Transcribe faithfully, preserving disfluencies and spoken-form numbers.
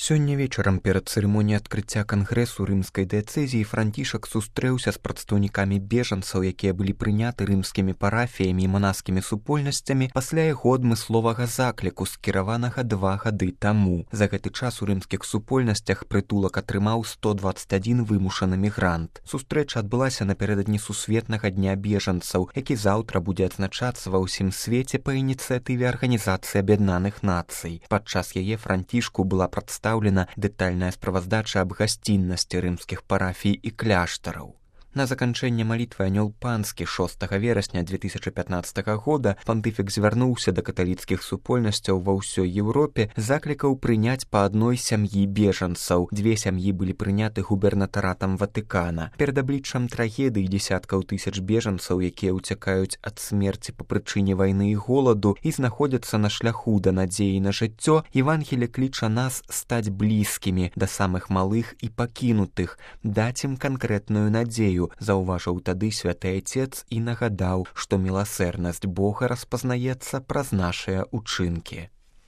Сёння вечарам перад цырымоніяй адкрыцця кангрэсу рымскай дыяцэзіі Францішак сустрэўся з прадстаўнікамі бежанцаў, якія былі прыняты рымскімі парафіямі і манаскімі супольнасцямі пасля яго адмысловага закліку, скіраванага два гады таму. За гэты час у рымскіх супольнасцях прытулак атрымаў сто дваццаць адзін вымушаны мігрант. Сустрэча адбылася напярэдадні сусветнага дня бежанцаў, які заўтра будзе адзначацца ва ўсім свеце па ініцыятыве Арганізацыі Аб'яднаных Нацый. Падчас яе Францішку была прадстаўлена дэтальная справаздача аб гасціннасці рымскіх парафій і кляштараў. На заканчэнне малітвы анёл панскі шостага верасня две тысячы пятнаццатага года пантыфік звярнуўся да каталіцкіх супольнасцяў ва ўсёй Еўропе, заклікаў прыняць па адной сям'і бежанцаў. Дзве сям'і былі прыняты губернатаратам Ватыкана. Перад абліччам трагедыі дзесяткаў тысяч бежанцаў, якія ўцякаюць ад смерці па прычыне вайны і голаду і знаходзяцца на шляху да надзеі на жыццё, Евангелле кліча нас стаць блізкімі да самых малых і пакінутых, даць ім канкрэтную надзею, заўважыў тады святы айцец і нагадаў, што міласэрнасць Бога распазнаецца праз нашыя ўчынкі.